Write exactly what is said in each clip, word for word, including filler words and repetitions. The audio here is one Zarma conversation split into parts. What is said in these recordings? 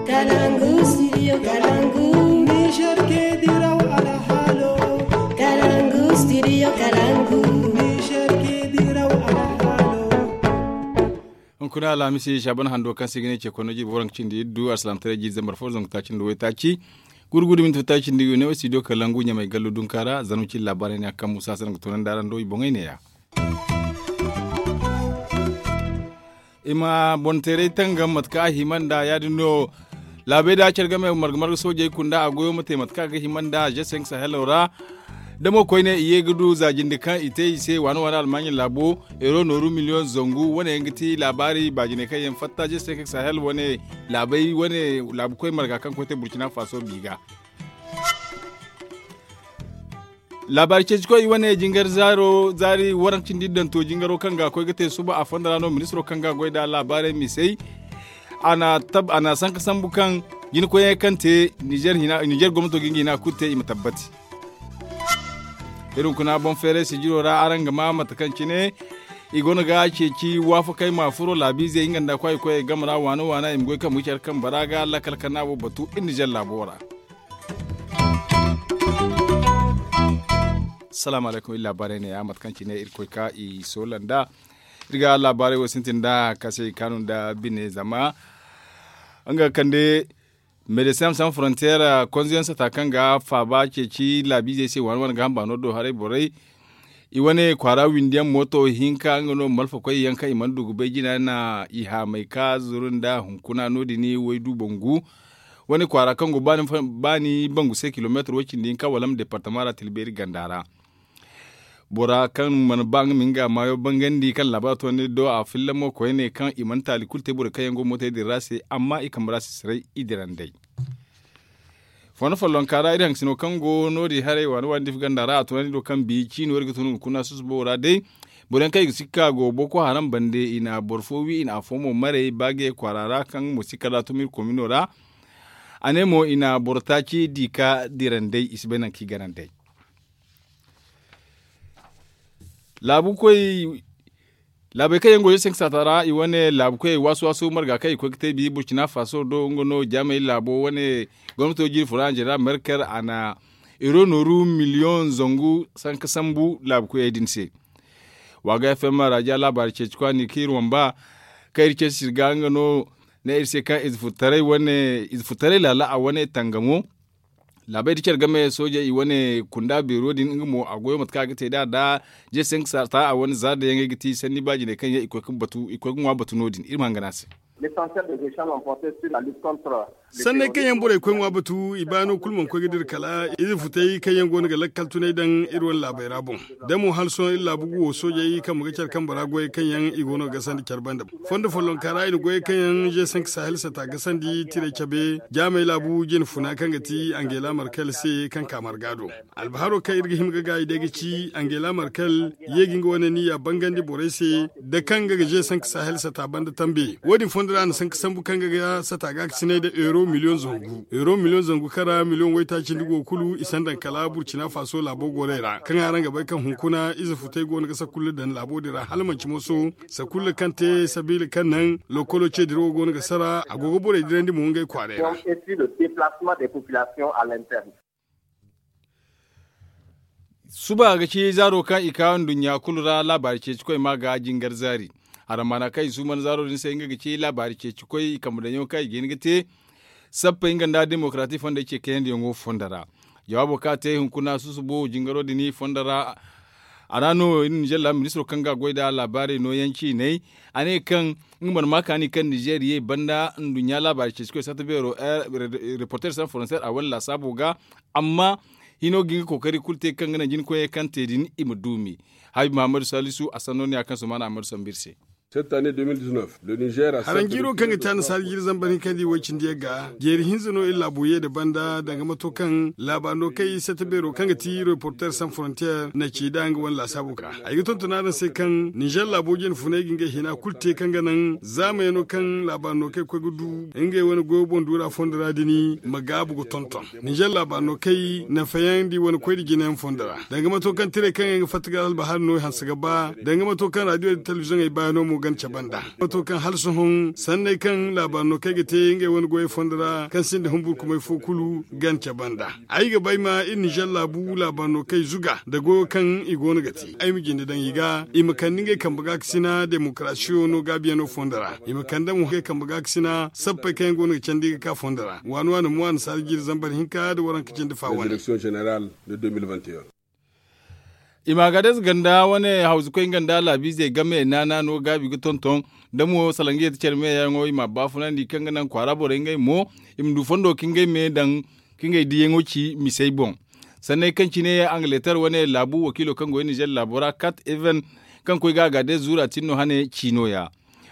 Kalangu studio kalangu. Niger ke diraw alhalo. Kalangu studio kalangu. Niger ke diraw alhalo. Hunkuna alhamisi shaban hando kaŋ se ga ne ce kono jibi waranka cindi iddu alsalamtaray jiize marfo zangu taaci nda waytaaci. Gurgudu minti taaci nda ne studio kalangu ɲamay gallu dunka ra zangu cindi laabaarey ne a kaŋ musa se nga toonandi araŋ do i boŋey neeya. I ma boŋ teeray tangam mate kaŋ a hima nd'a ya- din no. Laabey da care game marga marga soojey kunda a goyo ma te mate kaŋ a ga hima nd'a je senk sahelo ra. Damo koyne i ye ga du za jinde kaŋ i te i se waana waana almaaɲi laabo euro nooru miliyoŋ zangu wane yaŋ ga ti laabaari baajiney kaŋ yaŋ fatta je senk sahel wane laabey wane laabu koy marga kaŋ koy te burcina faso bi ga. Laabaari ceeci koy i wane jingar zaari waranka cindi iddanto jingaro kaŋ ga a koy ga te suba a fondo ra no ministiro kaŋ ga a goy nd'a laabaarey misey. A na sanka sambu kaŋ jina koyey kaŋ te nizer gomnato ga nga hina kulu te i ma tabbati. Iri hunkuna boŋ feeray sijiro ra araŋ ga ma mate kaŋ cine i goono ga ceeci waafakey ma furo laabiizey nga nda kwaay koyey game ra waana waana i ma goy kaŋ ma ga care kaŋ bara ga lakkal kaŋ no a wo batu iri nizer laabo ra. Salaamu alaykum iri laabaarey ne ya mate kaŋ cine iri koy ka i soola nd'a. Iri ga laabaarey wo sintin nda kaasay kaanu nda bine zama nga kande medecin san frontier konzo yaŋ sata kaŋ ga faaba ceeci laabiizey se waana waana ga hamba no do haray borey. I wane kwaara windi yaŋ mooto hinka nga no malfa koy yaŋ kaŋ i mana du ga bay jina na i haamay ka zuru nda hunkuna no- din waydu bangu. Wane kwaara kaŋ go baani bangu se kilomeetar way cindi hinka wala ma departama ra tilbeeri ganda ra. Bora kaŋ mana ba nga ma nga maayo bangandi kaŋ laabaaro toonandi do a filla mo koyne kaŋ i mana taali kulu te borey kaŋ yaŋ go mootey din ra se amma i kambe ra sisiray i dirandey. Fondo follonka ra iri haŋ sino kaŋ go no- din haray waani waani difi ganda ra a tunandi do kaŋ bi ciino iri ga tun hunkuna susubo ra day. Boro yaŋ kaŋ i ga si ga ka go boko haram bande i na boro fo wi i na afo mo maray baage kwaara ra kaŋ mo si kala tumir komino ra. A ne mo i na boro taaci di ka diranday i si bay nangu kaŋ i gananday. Laabu koy laabey kaŋ yaŋ go yeesenka saata ra i wane laabu koyey waasu waasu marga kaŋ i koy ga te bi burcina faso do nga no jaamey laabo wane gomnato jiri fura anjera merkel a na ero nooru miliyoŋ zangu sanka sambu laabu koyey din se. Waaga fm raajiya laabaari ceeci kwaani kaŋ iri wamba kaŋ iri ceeci sirga nga no ne iri se kaŋ ize furtaray wane ize furtaray laala a wane tangamo. Laabey da care game soojey i wane kunda beero din nga mo a goyo mate kaŋ a ga te nd'a da jeesenka saata a wane zaada yaŋey ga ti sanni baajiney kaŋ yaŋ i koy ga ŋwa batu no- din iri ma hangan a se. Sanney kaŋ yaŋ borey koy ŋwa batu i baano kulu mana koy ga dira kala ize futay kaŋ yaŋ go no ga lakkal tunay daŋ iri wane laabey ra boŋ. Da mo hala sohõ iri laabu ga wo soojey kambe ga care kambe ra goyey kaŋ yaŋ i go no ga gasandi care banda. Fondo follonka ra i na goyey kaŋ yaŋ jeesenka sahel sata gasandi tiray cabe jaamey laabu jine funa kaŋ ga ti angela markel se kaŋ ka marga do. Albaharo kaŋ iri ga hima ga gaayi day ga ci angela markel ye ga nga wane niya bangandi borey se da kaŋ nga ga jeesenka sahel sata banda tambe wo- din fondo ra a na sanka sambu kaŋ nga ga sata ga ga sinay da euro miliyoŋ zangu euro miliyoŋ zangu kaŋ ra miliyoŋ waytaaci nda go kulu i sanda kala burcina faso laabo gorey ra kaŋ araŋ ga bay kaŋ hunkuna ize futay go no ga sakulla daŋ laabo din ra hala manci moso sakulla kaŋ te sabiila kaŋ naŋ lokolo ce dirawo go no ga sara a go ga borey dirandi mo ngey kwaarey ra. Suba ga ci zaaro kaŋ i ka nduɲɲa kulu ra laabaari ceeci koy ma ga jingar zaari. Harammaana kaŋ i suuman zaaro din se nga ga ci laabaari ceeci koy i kambe daŋyaŋo kaŋ i ga hin ga te sappey nga nda demokarati fondey ce kayandiyaŋo fondo ra. Jawaabo kaŋ a te hunkuna susubo jingaro din fondo ra. A ra no iri na jalla ministiro kaŋ ga a goy nd'a laabaarey nooyaŋ ciiney. A ne kaŋ nga mana ma kaani kaŋ nizeer ye banda nduɲɲa laabaari ceeci koy satta beero reporter san faranseer a wane laasaabo ga. Amma hino ga nga kookari kulu te kaŋ ga naŋ jina koyey kaŋ te din i ma duumi. Haabi mahammadu saalisu a sanno ne ya kaŋ sumaana ammadu sambu iri se. Haraŋ jiiro kaŋ ga te annasaara jiiri zambar hinka nda i way cindi yaŋ ga jeeri hinza no iri laabo ye nda banda danga mato kaŋ laabaari no kaŋ i satta beero kaŋ ga ti reporter san frontier na ci nd'a nga wane laasaabo ga. Ay ga tonton araŋ se kaŋ ninzeer laabo jine funay ga ngey hina kulu te kaŋ ga naŋ zaamayaŋo kaŋ laabaari no kaŋ ay koy ga du ngey wane goyo boŋ duura fondo ra din ma gaabu ga tonton. Ninzeer laabaari no kaŋ ay nafayaŋ nda i wane koy nda jinayaŋ fondo ra danga mato kaŋ tiray kaŋ yaŋ ga fatta ga albahaari no i hanse ga ba danga mato kaŋ raadiyo nda telebiziyoŋey baayaŋo mo. Gance banda, wato kaŋ hala sohõ sanney kaŋ laabaari no kaŋ ay ga te ngey wane goyey fondo ra kaŋ sinda humburkumay fo kulu gance banda. Ay ga bay ma iri nizer laabu laabaari no kaŋ ay zuga nda goyo kaŋ i go no ga te ay ma jinde daŋ i ga i ma kande ngey kambe gaakasina demokarasiyo no gaabiyaŋo fondo ra. I ma kande mo ngey kambe gaakasina sappey kaŋ yaŋ go no ga candi ga ka fondo ra waani waani mo annasaara jiiri zambar hinka nda waranka cindi fa wane. I ma ga day ze ganda wane hawzukoy nga nda laabiizey game naana no gaabi ga tonton da mo salangiyey da care meyaŋo i ma baafunandi kaŋ ga naŋ kwaara borey ngey mo i ma du fondo ka ngey me daŋ ka ngey diyaŋo ci misey boŋ. Sanney kaŋ cine angileter wane laabu wakiilo kaŋ go nizer laabo ra kat even kaŋ koy ga a ga day zuura tin no hane ci no- ya.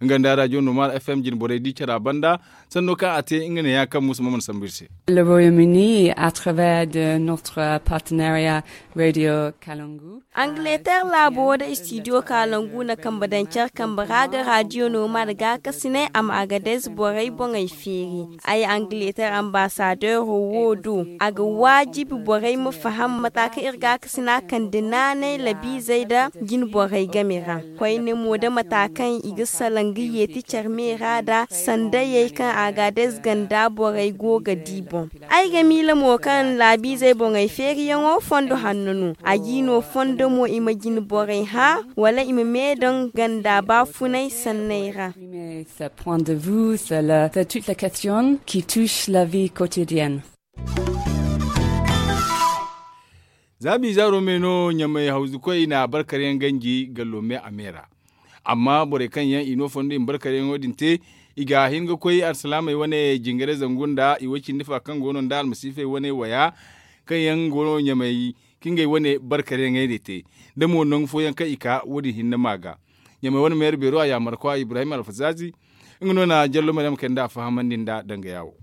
Nga nda rajo normal f m jine borey di cara banda sanno kaŋ a te nga ne ya kaŋ musa ma mana sambu iri se. Le royaume uni à travers de notre partenariat radio kalangu. Angileter laabo da istidiyo kalangu na kambe daŋ care kambe ra ga radio normal gaakasinay a ma a ga day ze borey boŋey feeri. Ay angileter ambasadeero wo do a ga waajibi borey ma faham mata kaŋ iri gaakasina kande naanay labiizey nda jine borey game ra. Koyne mo da mata kaŋ i ga salaŋ ga yeeti care me ra nda sandayey kaŋ a ga a day ze ganda borey go ga di boŋ. Ay ga miila mo kaŋ laabiizey boŋey feeriyaŋo fondo hanno no. A g'i no fondo mo i ma jine borey hã wala i ma me daŋ ganda baafunay sanney ra. Point de vue c'est toute la question qui touche la vie quotidienne. Za biizaaro me no ɲamay hawzukoy na barkar yaŋ ganji gallo me a me ra. Amma borey kaŋ yaŋ i no fondo i ma barkar yaŋo din te i ga hin ga koy alsilaamey wane jingaray zangu nda i way cindi fa kaŋ go no nda almasiifey wane waya kaŋ yaŋ go no ɲamay ka ngey wane barkar yaŋey din te. Da mo nangu fooyaŋ kaŋ i ka wo- din hinne ma ga ɲamay wane meera beero a yaamarkwa ibrahim alfazaazi nga no na jallo maryam kay nda a fahamandi nda dangaya wo.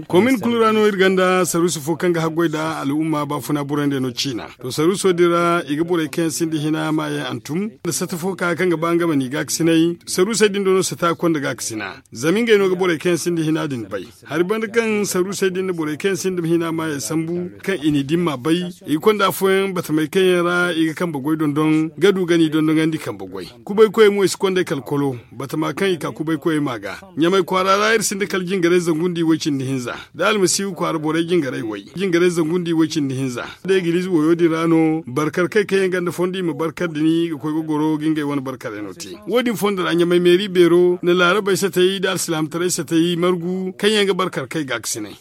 Komin kulu ra no iri gonda saruusi fo kaŋ ga haggoy nda al'umma baafuna burandey no ciina. To saruuso din ra i ga borey kaŋ yaŋ sinda hina maayaŋ hantum nda sata fo ka kaŋ ga ba nga ma n'i gaakasinay saruusey din do no sata konda gaakasina. Zama ngey no ga borey kaŋ yaŋ sinda hina din bay. Hari banda kaŋ saruusey din na borey kaŋ yaŋ sinda hina maayaŋ sambu kaŋ i n'i dimma bay. I ga konda afooyaŋ batamey kaŋ yaŋ ra i ga kambe goy dondon ga du ga n'i dondonandi kambe goy. Kubaykoyey mo i si kond'ey kala kolo batama kaŋ i ka kubaykoyey ma ga. Ɲamay kwaara ra iri sinda kala jingaray zangu nda i way cindi hinza da almasiihu kwaara borey jingaray way. Jingaray zangu nda i way cindi hinza da egiliize woyo din ra no barkar kay kaŋ yaŋ gonda fondo i ma barkar din ga koy ga goro ga ngey wane barkarey no te. Wo- din fondo ra ɲamay meeri beero na laarabey satay da alsilaamataray satay margu kaŋ yaŋ ga barkar kay gaakasinay.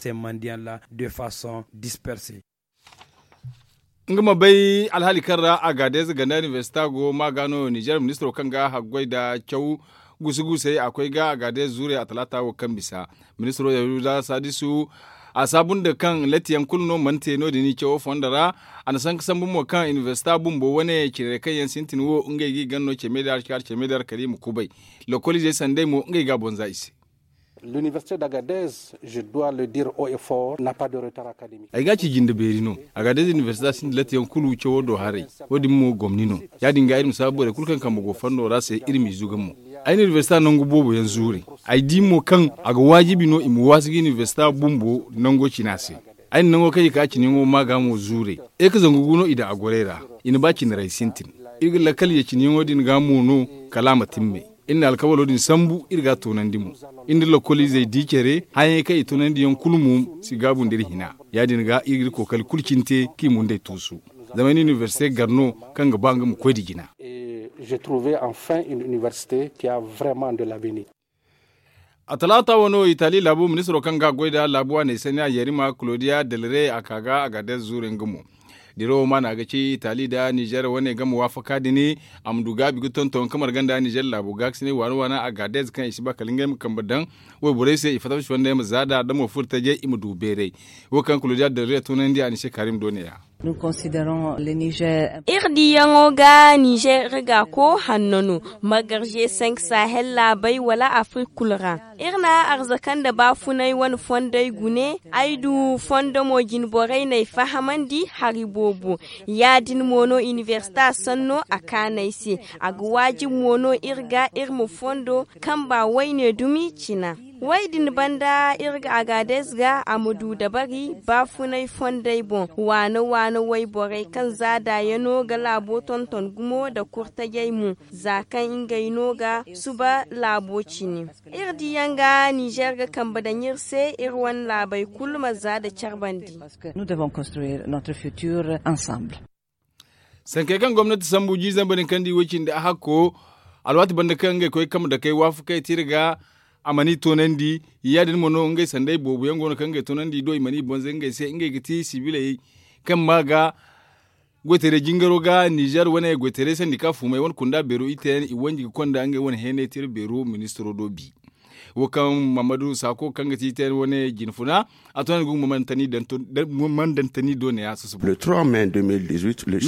Nga ma bay alhaali kaŋ ra agadeez ganda inibersita go ma ga no nizer ministiro kaŋ ga haggoy nda caw gusu-gusey a koy ga agadeez zuurey a talaata wo kaŋ bisa. Ministiro yahuza sadisu a saabu nda kaŋ latti yaŋ kulu no mana te no- din i cawo fondo ra. A na sanka sambu mo kaŋ inibersita bumbo wane cinarey kaŋ yaŋ sintin wo ngey ga i gana no ceme da hari ceme da hari kala i ma kubay. Lokoliizey sanday mo ngey ga a bonza i se. Ay ga a ci jinde beeri no. Agadez inibersita sinda latti yaŋ kulu cawo do haray. Wo- din mo gomni no. Ya- din ga iri ma saabu borey kulu kaŋ kambe go fondo ra se iri m'i zuga mo. Ay na inibersita nangu boobo yaŋ zuure. Ay di mo kaŋ a ga waajibi no i ma waasu ga inibersita bumbo nango cina se. Ay na nango kaŋ i ka cine yaŋo ma ga mo zuure. Iri ka zangu gu no i daŋ a gorey ra. I na ba cinarey sintin. Iri ga lakkal ye cine yaŋo din ga mo no kala a ma timmay. Iri na alkawalo din sambu iri ga a toonandi mo. Iri nda lokoliizey di care hayaŋey kaŋ i toonandi yaŋ kulu mo si gaabu nda iri hina. Ya- din ga iri ga iri kookari kulu cine te kaŋ i mundey tuusu. Zama ay na inibersite gar no kaŋ ga ba nga ma koy nda jina. A talaata wano itali laabu ministiro kaŋ ga goy nda laabu waaney saniya yerima claudia del rey a ka ga agadez zuure nga mo. Dirawo maana ga ci itali nda nizer wane game waafaka din. A ma du gaabi ga tonton ka marga nda nizer laabo gaakasinay waana waana agadez kaŋ i si ba kala ngey ma kambe daŋ wayborey se i fatta ma si fondey ma zaada da mo furo tajey i ma du beeray. Wo kaŋ claudia del rey toonandi a ni se karim do ne- ya. Iri diyaŋo ga nizer iri ga ko hanno no, margarze sank sahel laabey wala afrik kulu ra. Iri na arzaka nda baafunay wane fondey gune. Ay du fondo mo jinborey n'ay fahamandi hari boobo. Ya- din mo no inibersita sanno a kaan'ay se. A ga waajibi mo no iri ga iri ma fondo kamba wayne dumi cina. Way din banda iri ga agaades ga a ma du dabari baafunay fondey boŋ waana waana wayborey kaŋ za daayano ga laabo tonton gumo nda kurtajey mo, za kaŋ ngey no ga suba laabo cine. Iri diyaŋ ga nizer ga kambe daŋ iri se iri wane laabey kulu ma za nda care bandi. Sankey kaŋ gomnati sambu jiiri zambar hinkandi way cindi a hakko, alwaati banda kaŋ ngey koy kambe dakey waafakey te iri ga, a mana i toonandi. Ya- din mo no ngey sanday boobo yaŋ go no kaŋ ngey toonandi do i mana i boŋ zay ngey se ngey ga ti sibiley kaŋ ma ga goytaray jingaro ga nizer wane goytaray sandika fuumey wane kunda beero i te yaŋ i wanji ga konda ngey wane heenay tira beero ministiro do bi. Wo kaŋ mahammadu saako kaŋ ga ti i te yaŋ wane jinfuna, a to no i ga humandantani do ne ya susubu. Me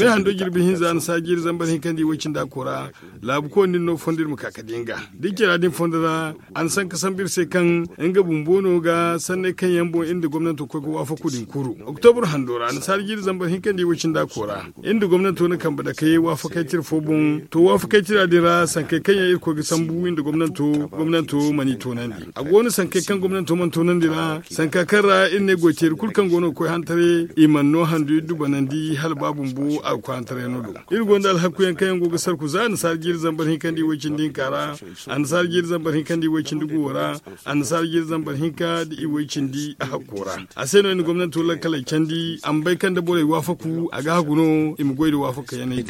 hando jirbi hinza a na sa jiiri zambar hinkandi way cindi a koora. Laabu kooni din no fondo iri ma ka ka di nga da i care ra din fondo ra. A na sanka sambu iri se kaŋ nga bumbo no ga sanney kaŋ yaŋ boŋ iri nda gomnanto koy ga waafaku din kuru. Oktobur hando ra a na sa jiiri zambar hinkandi way cindi a koora. Iri nda gomnanto na kambe dakey waafakay tira fo boŋ to waafakay tira din ra sankey kaŋ yaŋ iri koy ga sambu iri nda gomnanto gomnanto mana i toonandi. A go no sankey kaŋ gomnanto mana toonandi ra sanka kaŋ ra iri ne goyteeri kulu kaŋ go no ga koy hantaray i mana no handu iri dubanandi hala ba bumbo a ga koy hantarayano do. Iri gonda alhakuyaŋ kaŋ yaŋ go ga sarku za annasaara jiiri zambar hinkandi way cindi hinka ra. Annasaara jiiri zambar hinkandi way cindi guwo ra. Annasaara jiiri zambar hinka da i way cindi a hakko ra. A se no i na gomnanto lakkaley candi a ma bay kaŋ da borey waafaku a ga hagu no i ma goy nda waafakayaney.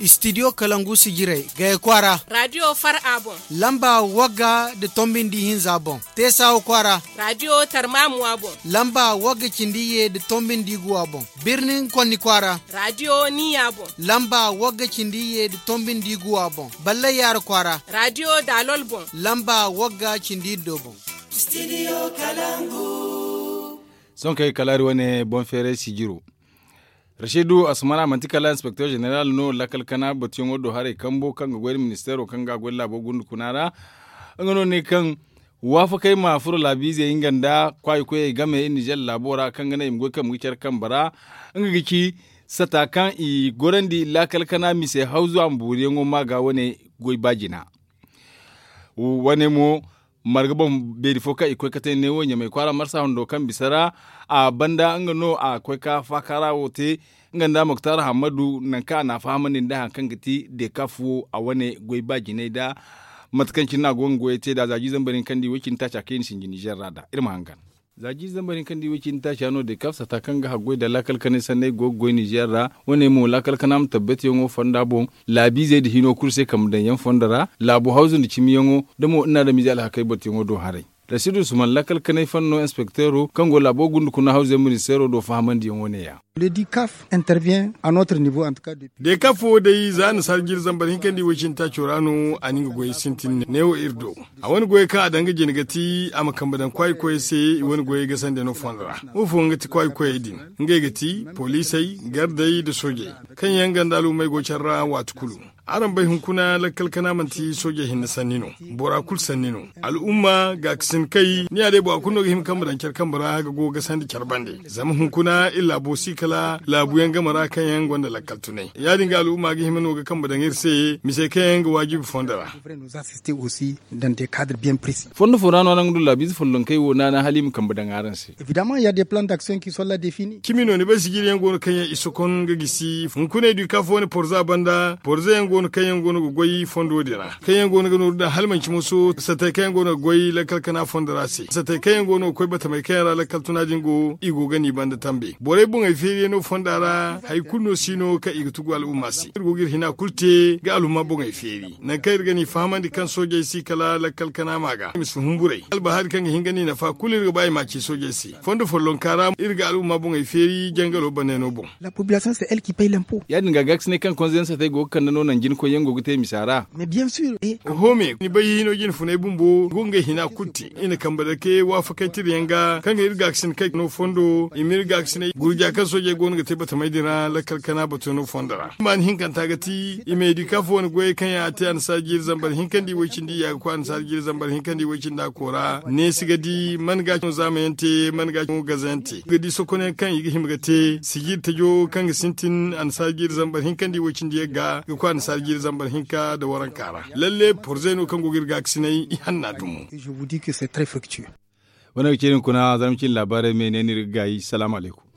Studio kalangu sijirey gaya kwaara. Radio far a boŋ. Lamba wagga nda tombi nda ihinza boŋ. Teesawa kwaara. Radio tarmamuwa boŋ. Lamba wagga cindi iyye nda tombi nda iguwa boŋ. Birnin konni kwaara. Radio niya boŋ. Lamba wagga cindi iyye nda tombi nda iguwa boŋ. Ballay yaara kwaara. Radio dalol boŋ. Lamba wagga cindi iddo boŋ. Sohõ kaŋ ay kalaari wane boŋ feeray sijiro. Rasiidu asumana manti kala inspekter jeneral no lakkal kana batuyaŋo do haray kambo kaŋ ga goy nda ministeero kaŋ ga a goy nda laabo gundu kuna ra. Nga no ne kaŋ waafakey ma furo laabiizey nga nda kwaayi koyey game nizer laabo ra kaŋ ga naŋ i ma goy kaŋ ma ga care kambe ra. Nga ga ci sata kaŋ i gorandi lakkal kana mise hawzu a ma booriyaŋo ma ga wane goy ba jina. Wane mo marga boŋ beeri fo kaŋ i koy ka te neewo ɲamay kwaara marsa hundo kaŋ bisa ra. A banda nga no a koy ka faakaara wo te nga nda moktar hammadu nangu kaŋ a na a fahamandi nda hari kaŋ ga ti deekaf wo a wane goy ba jinay nda mate kaŋ cine no a go nga goyey te nd'a za jiiri zambar hinkandi way cindi taaca kaŋ i na sinji nizer ra nd'a iri ma hangan. Za jiiri zambar hinkandi way cindi taaca no deekaf sata kaŋ ga haggoy nda laakal kanay sanney go ga goy nizer ra. Wane mo laakal kana ma tabbatiyaŋo fonda boŋ laabiizey nda hino kulu se kambe daŋyaŋ fondo ra laabu hawzu nda cimiyaŋo da mo nda adamize alhakey batuyaŋo do haray. Rasiidu usman lakkal kanay fanno inspekteero kaŋ go laabo gunda kuna hawzey ministeero do fahamandiyaŋo ne- ya. Deekaf wo day za annasaara jiiri zambar hinkandi way cindi taaco ra no a na nga goyey sintin neewo iri do. A wane goyey kaŋ a daŋ ga jina ga ti a ma kambe daŋ kwaayi koyey se i wane goyey gasandi no fondo ra. Wo fooyaŋ ga ti kwaayi koyey din? Ngey ga ti poliisey, gardey nda soojey kaŋ yaŋ ganda al'ummey go care ra waati kulu. Araŋ bay hunkuna lakkal kana manti soojey hinne sanni no. Bora kulu sanni no. Al'umma gaakasin kay ni ya day bora kulu no ga hima kambe daŋ care kambe ra ga go ga sandi care bande. Zama hunkuna iri laabo si kala laabuyaŋ game ra kaŋ yaŋ gonda lakkal tunay ya- din ga al'umma ga hima no ga kambe daŋ iri se misey kaŋ yaŋ ga waajibi fondo ra. Fondo fo ra no araŋ ga du laabiize follonkey wo naana hala i ma kambe daŋ araŋ se. Cimi no ni bay sijiriyaŋ go no kaŋ yaŋ i sokon ga gisi hunkuney du i ka fo wane porza banda porza yaŋ go no kaŋ yaŋ go no ga goy fondo din ra kaŋ yaŋ go no ga nooru daŋ hala manci moso satey kaŋ yaŋ go no ga goy lakkal kana fondo ra se satey kaŋ yaŋ go no ga koy batamey kaŋ yaŋ ra lakkal tuna din go i go ga ni banda tambe borey boŋey feeriyaŋo fonda ra hari kulu no si no kaŋ i ga tugu al'umma se iri go ga iri hina kulu te ga al'umma boŋey feeri nangu kaŋ iri ga ni fahamandi kaŋ soojey si kala lakkal kana ma ga i ma si humburay albahari kaŋ ga hin ga ni nafa kulu iri ga ba i ma a ci soojey se. Fondo follonka ra iri ga al'umma boŋey feeri jangalo bannayno boŋ. Ya- din ga gaakasinay kaŋ konze yaŋ satey go ga kande no naŋ jina koyyaŋ go ga te misa ra. Oho me ni bay hino jine funay bumbo go ngey hina kulu te i na kambe dake waafakay tira yaŋ ga kaŋ ga iri gaakasinay kaŋ no fondo i ma iri gaakasinay gurja kaŋ Soojey go no ga te batamey din ra lakkal kana bato no fondo ra. Maani hinkanta ga ti i ma edika fo wane goyey kaŋ yaŋ a te annasaara jiiri zambar hinka nda i woy cindi i ya ga koy annasaara jiiri zambar hinka nda i woy cindi a koora neesi ga di man ga a caŋo zaama yaŋ te man ga a caŋo gaza yaŋ te ga di sokonyaŋ kaŋ i ga hima ga te sijiri tajo kaŋ ga sintin annasaara jiiri zambar hinka nda i woy cindi yaŋ ga ga koy annasaara jiiri zambar hinka nda waranka ra. Lalle porzey no kaŋ go ga iri gaakasinay i hanna dumo. Wane ga ceeri hunkuna zarma cine laabaarey me ne no iri ga gaayi salaamu alaykum.